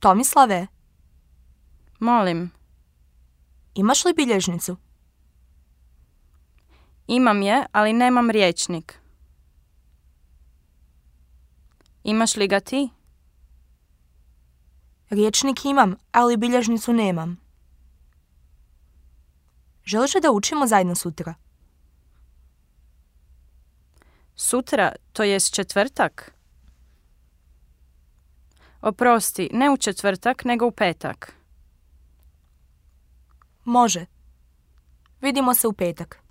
Tomislave, Molim. imaš li bilježnicu? Imam je, ali nemam rječnik. Imaš li ga ti? Rječnik imam, ali bilježnicu nemam. Želiš li da učimo zajedno sutra? Sutra, to jest četvrtak? Oprosti, ne u četvrtak, nego u petak. Može. Vidimo se u petak.